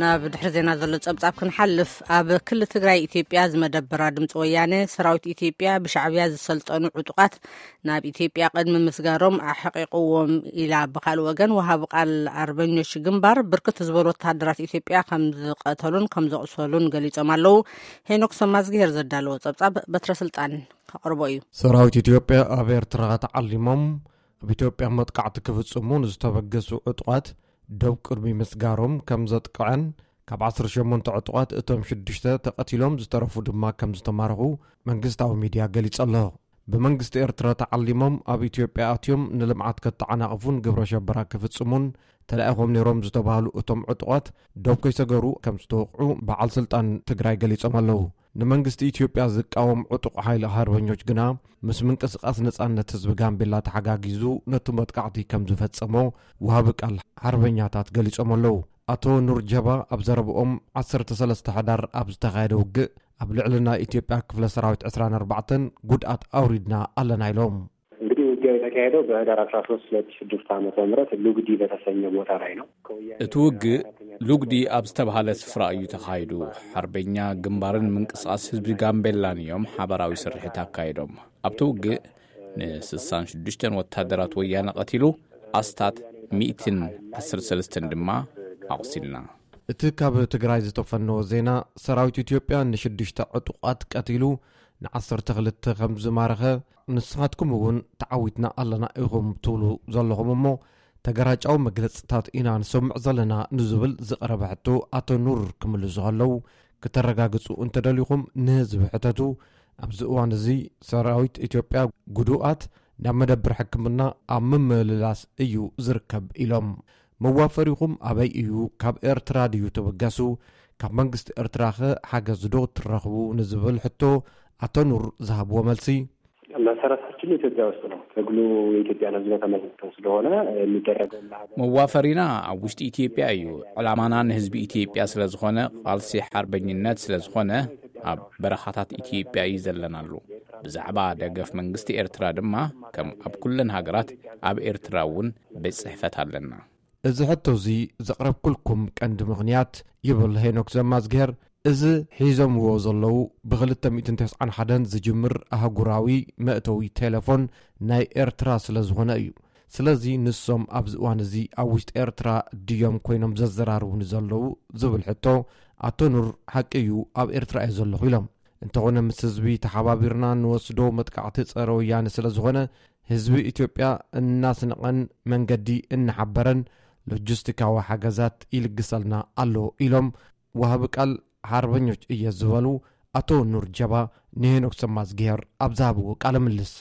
ናብ ድሕሪ ዜና ዘሎ ጸብጻብ ክንሓልፍ፣ ኣብ ክሊ ትግራይ ኢትዮጵያ ዝመደበራ ድምፂ ወያነ፣ ሰራዊት ኢትዮጵያ ብሻዕብያ ዝሰልጠኑ ዕጡቓት ናብ ኢትዮጵያ ቅድሚ ምስጋሮም ኣሕቂቕዎም ኢላ። ብኻልእ ወገን፣ ወሃቢ ቃል ኣርበኞች ግንባር ብርክት ዝበሉ ወታደራት ኢትዮጵያ ከም ዝቐተሉን ከም ዘቑሰሉን ገሊጾም ኣለዉ። ሄኖክ ሰማዝግሄር ዘዳለዎ ጸብጻብ በትረ ስልጣን ከቕርቦ እዩ። ሰራዊት ኢትዮጵያ ኣብ ኤርትራ ተዓሊሞም ኣብ ኢትዮጵያ መጥቃዕቲ ክፍጽሙ ንዝተበገሱ ዕጡቓት ደው ቅድሚ ምስጋሮም ከም ዘጥቅዐን፣ ካብ ዓሰርተ ሸሞንተ ዕጡቓት እቶም ሽዱሽተ ተቐቲሎም፣ ዝተረፉ ድማ ከም ዝተማረኹ መንግስታዊ ሚድያ ገሊጹ ኣሎ። ብመንግስቲ ኤርትራ ተዓሊሞም ኣብ ኢትዮጵያ ኣትዮም ንልምዓት ከተዓናቕፉን ግብረ ሸበራ ክፍጽሙን ተላኢኾም ነይሮም ዝተባህሉ እቶም ዕጡቓት ደው ከይሰገሩ ከም ዝተወቕዑ በዓል ስልጣን ትግራይ ገሊጾም ኣለዉ። ንመንግስቲ ኢትዮጵያ ዝቃወም ዕጡቕ ሓይሊ ሓርበኞች ግና፣ ምስ ምንቅስቓስ ነጻነት ህዝቢ ጋምቤላ ተሓጋጊዙ ነቲ መጥቃዕቲ ከም ዝፈጸሞ ወሃቢ ቃል ሓርበኛታት ገሊጾም ኣለዉ። ኣቶ ኑር ጀባ ኣብ ዘረብኦም፣ ዓሰርተ ሰለስተ ሕዳር ኣብ ዝተኻየደ ውግእ ኣብ ልዕሊ ናይ ኢትዮጵያ ክፍለ ሰራዊት ዕስራን ኣርባዕተን ጉድኣት ኣውሪድና ኣለና ኢሎም። እንግዲህ ውጊያው የተካሄደው በህዳር አስራ ሶስት ሁለት ሺህ ስድስት ዓመተ ምህረት ሉግዲ በተሰኘ ቦታ ላይ ነው። እቲ ውግእ ሉግዲ ኣብ ዝተባህለ ስፍራ እዩ ተኻይዱ። ሓርበኛ ግንባርን ምንቅስቓስ ህዝቢ ጋምቤላን እዮም ሓባራዊ ስርሒት ኣካይዶም። ኣብቲ ውግእ ንስሳን ሽዱሽተን ወታደራት ወያነ ቀቲሉ፣ ኣስታት ሚእትን ዓሰርተ ሰለስተን ድማ ኣቑሲልና። እቲ ካብ ትግራይ ዝተፈነወ ዜና፣ ሰራዊት ኢትዮጵያ ንሽዱሽተ ዕጡቓት ቀቲሉ፣ ንዓሰርተ ክልተ ከም ዝማረኸ፣ ንስኻትኩም እውን ተዓዊትና ኣለና ኢኹም ትብሉ ዘለኹም እሞ፣ ተገራጫዊ መግለጽታት ኢና ንሰምዕ ዘለና ንዝብል ዝቐረበ ሕቶ ኣቶ ኑር ክምልሱ ከለዉ፣ ክተረጋግጹ እንተደሊኹም ንህዝቢ ሕተቱ። ኣብዚ እዋን እዚ ሰራዊት ኢትዮጵያ ጉዱኣት ናብ መደብር ሕክምና ኣብ ምምልላስ እዩ ዝርከብ ኢሎም። መዋፈሪኹም ኣበይ እዩ? ካብ ኤርትራ ድዩ ትብገሱ? ካብ መንግስቲ ኤርትራኸ ሓገዝ ዶ ትረኽቡ? ንዝብል ሕቶ ኣቶ ኑር ዝሃብዎ መልሲ፣ መሰረታችን ኢትዮጵያ ውስጥ ነው። ትግሉ የኢትዮጵያን ሕዝብ በተመለከተ ስለሆነ የሚደረገው ለሀገር መዋፈሪና ኣብ ውሽጢ ኢትዮጵያ እዩ። ዕላማና ንህዝቢ ኢትዮጵያ ስለ ዝኾነ፣ ቃልሲ ሓርበኝነት ስለ ዝኾነ፣ ኣብ በረኻታት ኢትዮጵያ እዩ ዘለናሉ። ብዛዕባ ደገፍ መንግስቲ ኤርትራ ድማ፣ ከም ኣብ ኩለን ሃገራት፣ ኣብ ኤርትራ እውን ቤት ጽሕፈት ኣለና። እዚ ሕቶ እዚ ዘቕረብኩልኩም ቀንዲ ምኽንያት፣ ይብል ሄኖክ ዘማዝግሄር፣ እዚ ሒዞምዎ ዘለዉ ብ ክልተ ሚእትን ተስዓን ሓደን ዝጅምር ኣህጉራዊ መእተዊ ቴሌፎን ናይ ኤርትራ ስለ ዝኾነ እዩ። ስለዚ ንሶም ኣብዚ እዋን እዚ ኣብ ውሽጢ ኤርትራ ድዮም ኮይኖም ዘዘራርቡኒ ዘለዉ ዝብል ሕቶ፣ ኣቶ ኑር ሓቂ እዩ፣ ኣብ ኤርትራ እየ ዘለኹ ኢሎም። እንተኾነ ምስ ህዝቢ ተሓባቢርና ንወስዶ መጥቃዕቲ ጸረ ወያነ ስለ ዝኾነ፣ ህዝቢ ኢትዮጵያ እናስነቐን መንገዲ እናሓበረን ሎጂስቲካዊ ሓገዛት ይልግሰልና ኣሎ ኢሎም ወሃቢ ቃል ሓርበኞች እየ ዝበሉ ኣቶ ኑር ጀባ ንሄኖክ ሰማዝግሄር ኣብ ዝሃብዎ ቃለ ምልልስ።